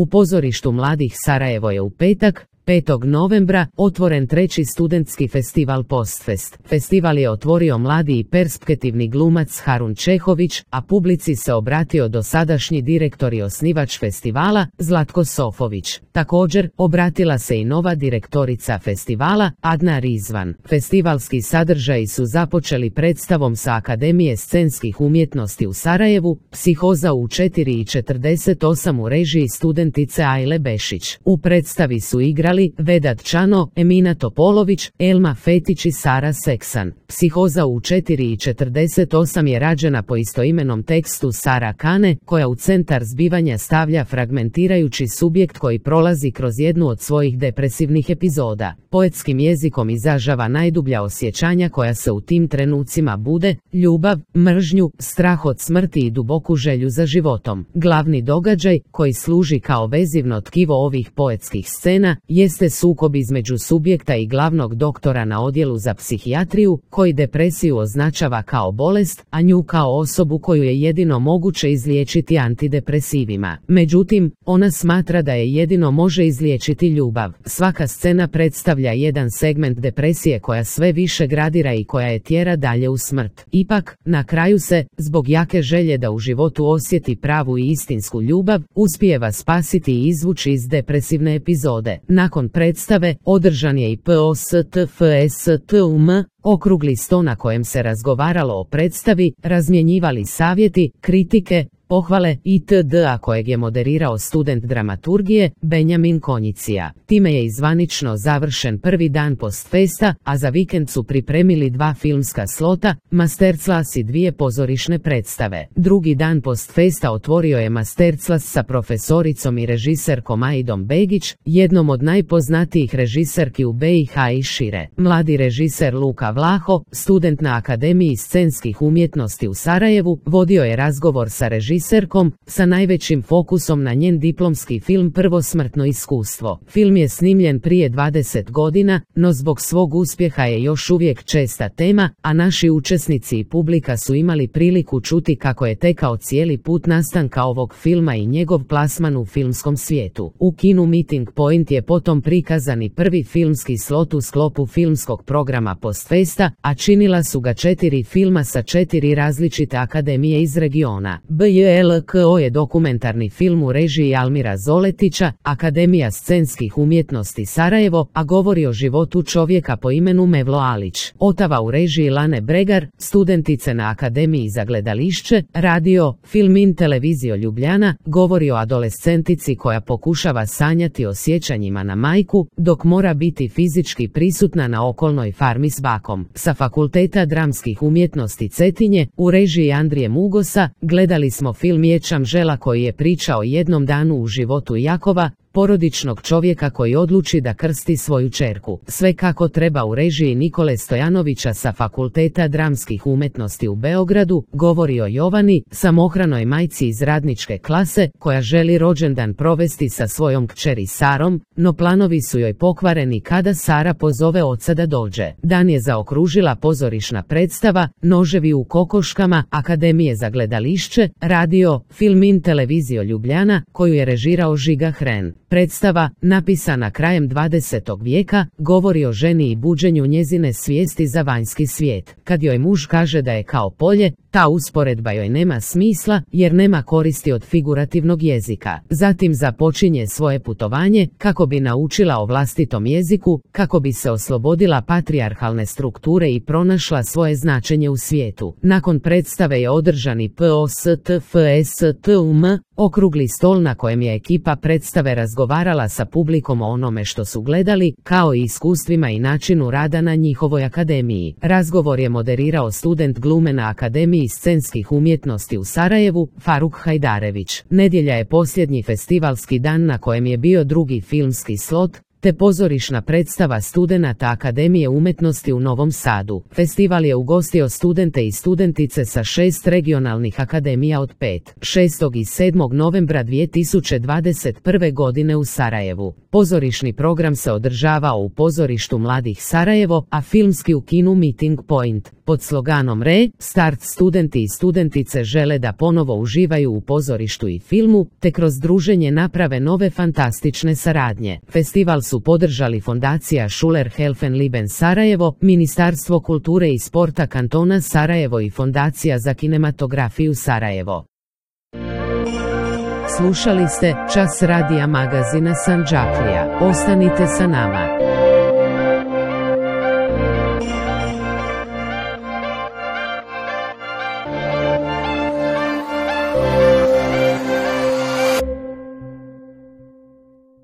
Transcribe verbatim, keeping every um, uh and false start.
U pozorištu mladih Sarajevo je u petak, petog novembra, otvoren treći studentski festival Postfest. Festival je otvorio mladi i perspektivni glumac Harun Čehović, a publici se obratio dosadašnji direktor i osnivač festivala, Zlatko Sofović. Također, obratila se i nova direktorica festivala, Adna Rizvan. Festivalski sadržaji su započeli predstavom sa Akademije scenskih umjetnosti u Sarajevu, Psihoza u četiri i četrdeset osam u režiji studentice Ajle Bešić. U predstavi su igrali Vedat Čano, Emina Topolović, Elma Fetić i Sara Seksan. Psihoza u četiri i četrdeset osam je rađena po istoimenom tekstu Sara Kane, koja u centar zbivanja stavlja fragmentirajući subjekt koji prolazi kroz jednu od svojih depresivnih epizoda. Poetskim jezikom izražava najdublja osjećanja koja se u tim trenucima bude, ljubav, mržnju, strah od smrti i duboku želju za životom. Glavni događaj, koji služi kao vezivno tkivo ovih poetskih scena, jeste sukob između subjekta i glavnog doktora na odjelu za psihijatriju, koji depresiju označava kao bolest, a nju kao osobu koju je jedino moguće izliječiti antidepresivima. Međutim, ona smatra da je jedino može izliječiti ljubav. Svaka scena predstavlja jedan segment depresije koja sve više gradira i koja je tjera dalje u smrt. Ipak, na kraju se, zbog jake želje da u životu osjeti pravu i istinsku ljubav, uspijeva spasiti i izvući iz depresivne epizode. Nakon predstave, održan je i POSTFSTUM, okrugli sto na kojem se razgovaralo o predstavi, razmjenjivali savjeti, kritike, pohvale itd., a kojeg je moderirao student dramaturgije, Benjamin Konjicija. Time je izvanično završen prvi dan Postfesta, a za vikend su pripremili dva filmska slota, Masterclass i dvije pozorišne predstave. Drugi dan Postfesta otvorio je Masterclass sa profesoricom i režiserkom Aidom Begić, jednom od najpoznatijih režiserki u B i H i šire. Mladi režiser Luka Vlaho, student na Akademiji scenskih umjetnosti u Sarajevu, vodio je razgovor sa režiserkom sa najvećim fokusom na njen diplomski film Prvosmrtno iskustvo. Film je snimljen prije dvadeset godina, no zbog svog uspjeha je još uvijek česta tema, a naši učesnici i publika su imali priliku čuti kako je tekao cijeli put nastanka ovog filma i njegov plasman u filmskom svijetu. U kinu Meeting Point je potom prikazan i prvi filmski slot u sklopu filmskog programa Postfesta, a činila su ga četiri filma sa četiri različite akademije iz regiona. B J L K O je dokumentarni film u režiji Almira Zoletića, Akademija scenskih umjetnosti Sarajevo, a govori o životu čovjeka po imenu Mevlo Alić. Otava u režiji Lane Bregar, studentice na Akademiji za gledališće, radio, film in televizio Ljubljana, govori o adolescentici koja pokušava sanjati o sjećanjima na majku, dok mora biti fizički prisutna na okolnoj farmi s bakom. Sa Fakulteta dramskih umjetnosti Cetinje, u režiji Andrije Mugosa, gledali smo film Ječam žela koji je priča o jednom danu u životu Jakova, porodičnog čovjeka koji odluči da krsti svoju ćerku. Sve kako treba u režiji Nikole Stojanovića sa Fakulteta dramskih umjetnosti u Beogradu, govori o Jovani, samohranoj majci iz radničke klase, koja želi rođendan provesti sa svojom kćeri Sarom, no planovi su joj pokvareni kada Sara pozove oca da dođe. Dan je zaokružila pozorišna predstava Noževi u kokoškama Akademije za gledališće, radio, film in televizio Ljubljana, koju je režirao Žiga Hren. Predstava, napisana krajem dvadesetog vijeka, govori o ženi i buđenju njezine svijesti za vanjski svijet. Kad joj muž kaže da je kao polje, ta usporedba joj nema smisla jer nema koristi od figurativnog jezika. Zatim započinje svoje putovanje kako bi naučila o vlastitom jeziku, kako bi se oslobodila patrijarhalne strukture i pronašla svoje značenje u svijetu. Nakon predstave je održan i POSTFSTUM, okrugli stol na kojem je ekipa predstave razgovarala sa publikom o onome što su gledali, kao i iskustvima i načinu rada na njihovoj akademiji. Razgovor je moderirao student glume na Akademiji scenskih umjetnosti u Sarajevu, Faruk Hajdarević. Nedjelja je posljednji festivalski dan na kojem je bio drugi filmski slot, te pozorišna predstava studenata Akademije umjetnosti u Novom Sadu. Festival je ugostio studente i studentice sa šest regionalnih akademija od pet, šestog i sedmog novembra dvije tisuće dvadeset prve godine u Sarajevu. Pozorišni program se održavao u pozorištu Mladih Sarajevo, a filmski u kinu Meeting Point. Pod sloganom Re Start studenti i studentice žele da ponovo uživaju u pozorištu i filmu, te kroz druženje naprave nove fantastične saradnje. Festival su podržali Fondacija Schuler Helfen-Lieben Sarajevo, Ministarstvo kulture i sporta kantona Sarajevo i Fondacija za kinematografiju Sarajevo. Slušali ste Čas radija magazina Sandžaklija. Ostanite sa nama.